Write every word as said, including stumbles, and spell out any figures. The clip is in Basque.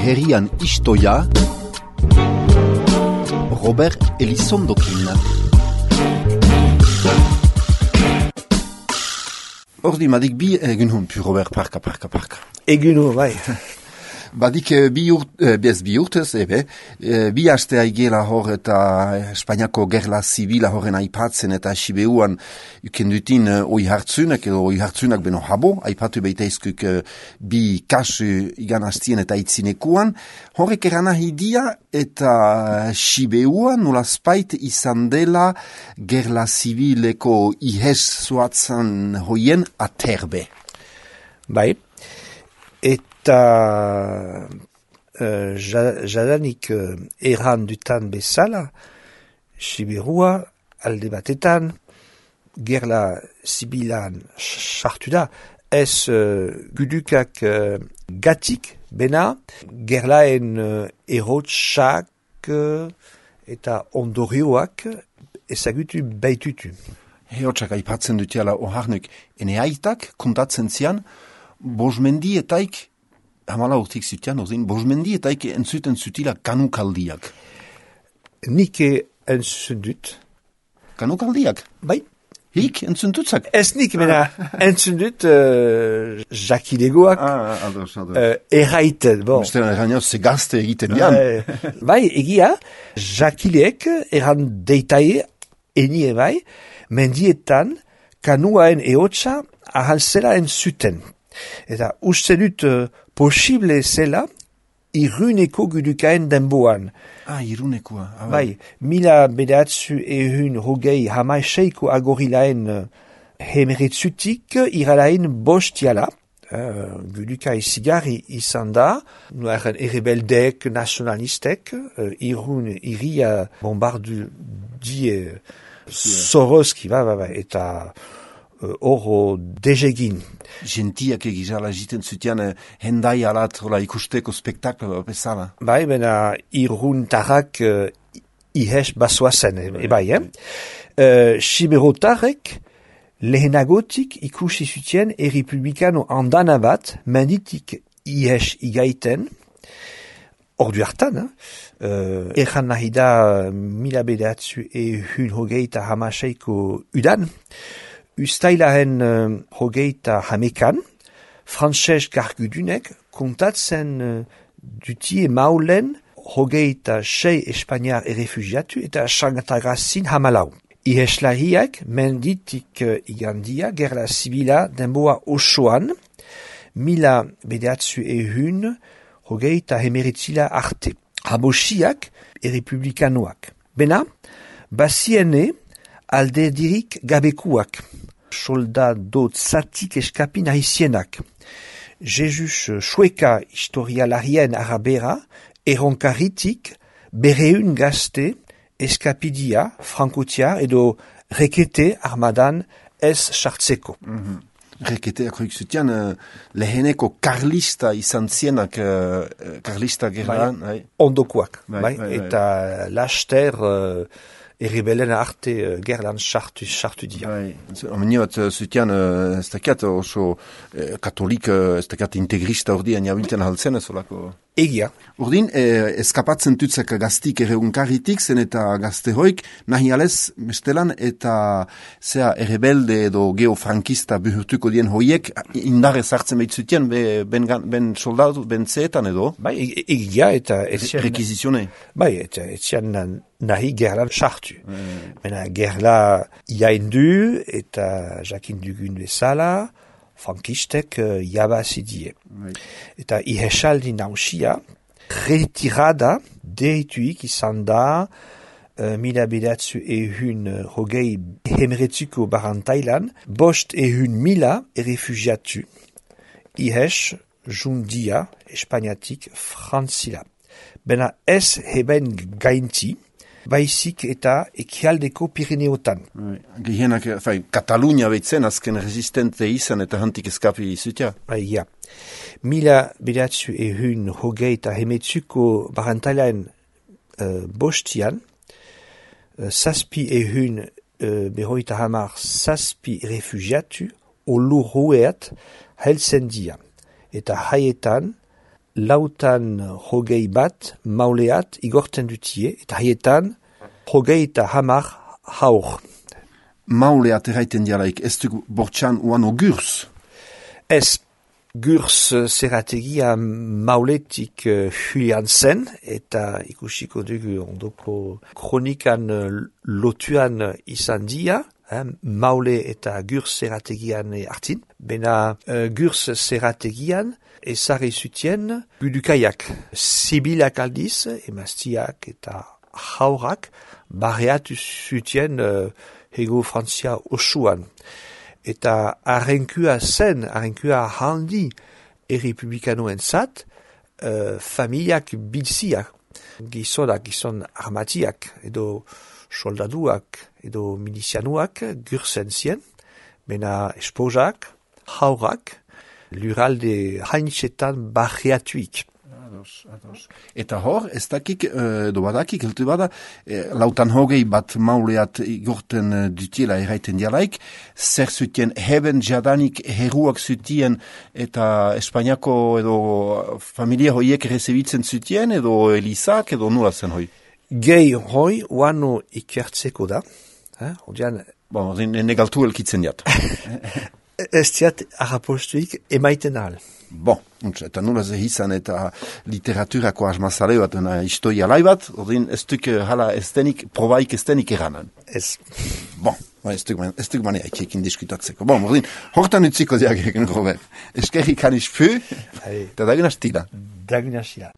herrian istoia Robert Elizondokin. Ordi madik bi egun hon pu Robert parka parka parka. Egun hon, bai. Badik bi urt, bez bi urtez, ebe, bi haste aigela hor eta Espainiako gerla zibila horren aipatzen eta Sibeuan ukendutin oi hartzunak edo oi hartzunak beno habo, aipatu beitaizkuk bi kasu igan hastien eta itzinekuan, horrek eran ahidia eta Sibeuan nola spait izan dela gerla zibileko ihes zuatzen hoien aterbe. Bai, et eta uh, jadanik uh, erran dutan bezala, Siberua alde batetan, gerla zibilan sartu da, ez uh, gudukak uh, gatik, bena, gerlaen uh, erotsak uh, eta ondorioak ezagutu baitutu. Erotsak aipatzen dutiala oharnuk, ene aitak kontatzen zian, bosmendietaik hamala urtik zutian, ozin, bosmendietaik entzuten zutila kanukaldiak. Nik entzun dut. Kanukaldiak? Bai. Hik entzun dutzak? Ez nik, mena, entzun dut uh, jakilegoak. Ah, ados, ados. Uh, erraiten, bon. Mesteren errainaz, ze gazte egiten dian. Uh, bai, egia, jakileek erran deitaie, enie bai, mendietan, kanuaen eotsa ahantzela entzuten. Eta uste dut uh, posible zela iruneko gudukaen denboan. Ah, irunekoa. Ah, bai, mila bedatzu ehun hogei hamaiseiko agorilaen uh, hemeretzutik iralaen bostiala. Uh, gudukai zigarri izan da, nuaren errebeldek, nationalistek, uh, irun iria bombardu die Soroski, ba, ba, ba, eta horro uh, dezegin. Gentiak egizala jiten zutian eh, hendai alat hola, ikusteko spektaklo bezala. Bai, bena iruntarrak uh, ihes basoazen, e, e bai, eh? Uh, Siberotarrek lehenagotik ikusi zutien errepublikano andana bat menditik ihes igaiten, ordu hartan, eh? uh, erran nahi da mila bedatzu ehun hogeita hamaseiko udan, Ustailaren uh, hogeita hamekan, Frantses gargudunek kontatzen uh, dutie maulen hogeita sei Espainiar errefugiatu eta sangatagazin hamalau. Iheslariak menditik uh, igandia gerla zibila denboa osoan, mila bedatzu ehun hogeita hemeritzila arte. Habosiak errepublikanoak. Bena, baziene alde dirik gabekuak. Soldado zatik eskapi nahizienak. Jesus Sueka historialarien arabera, erronkaritik bereun gazte eskapidia frankotiar edo rekete armadan ez sartzeko. Mm-hmm. Reketeak hoik zutian uh, leheneko karlista izan zienak uh, karlista gerran. Bai, ondokoak. Bai, bai, bai, eta bai. Laster uh, errebelen arte uh, gerlan sartu, sartu dia. Bai, omeni bat uh, zutian uh, ez dakiat oso uh, katolik, uh, ez dakiat integrista ordian jabilten haltzen ez olako. Egia. Urdin, eh, eskapatzen tutzak gaztik erreunkarritik, zen eta gazte hoik, nahi alez, mestelan, eta zea errebelde edo geofrankista buhurtuko dien hoiek, indarre zartzen behitzutien, be, ben, ben soldatu, ben zeetan edo? Bai, egia, eta... Etzian, rekizizione? Bai, eta etzian nahi gerlan sartu. Mm. Mena gerla jaindu, eta jakin dugun bezala, frankistek uh, jabazidie. Right. Eta ihesaldi nausia, retirada deituik izan da uh, mila bedatzu ehun uh, hogei hemeretzuko barantailan, bost ehun mila errefugiatu. Ihes jundia Espainiatik frantzila. Bena ez heben gainti, baizik eta ekialdeko Pirineotan. Gehienak, fai, Katalunia behitzen azken resistente izan eta hantik eskapi izutia. Bai, ja. Mila bedatzu ehun hogei eta hemetzuko barantailaen uh, bostian, uh, zazpi ehun uh, behoita hamar zazpi refugiatu olurrueat heltzen dia. Eta haietan lautan hogei bat mauleat igorten dutie, eta haietan hogei eta hamar haur. Mauleat erraiten dialaik, ez du bortxan uano gurs? Ez, gurs zerategia mauletik uh, huian zen, eta ikusiko dugu ondoko kronikan uh, lotuan izan dia, eh, maule eta gurs zerategian hartin. Bena uh, gurs zerategian ezarri zutien gudukaiak. Sibilak aldiz, emaztiak eta haurak, barreatu zutien uh, hego Frantzia osuan. Eta arrenkua zen, arrenkua handi errepublikanoen zat, uh, familiak bilziak, gizonak, gizon armatiak, edo soldaduak, edo milizianuak, gursen zien, bena esposak, haurak, luralde haintxetan barriatuik. Ados, ados. Eta hor, ez dakik, edo badakik, heltu bada, e, lautan hogei bat mauleat igorten dutiela erraiten dialaik, zer zutien heben jadanik heruak zutien eta Espainiako edo familia hoiek rezebitzen zutien edo elizak edo nula zen hoi? Gehi hoi, uano ikertzeko da. Eh? Odian... Bon, negaltu elkitzen jat. Ez diat arrapostuik emaiten ahal. Bon, eta nula ze izan eta literaturako asmazale bat, historia lai bat, ordin ez duk hala ez denik, probaik ez denik eranan. Ez. Bon, ez duk manea ekin diskutatzeko. Bon, ordin, hortan utziko diagegen, Robert. Eskerrik aniz pu, eta dagun astila. Dagun astila.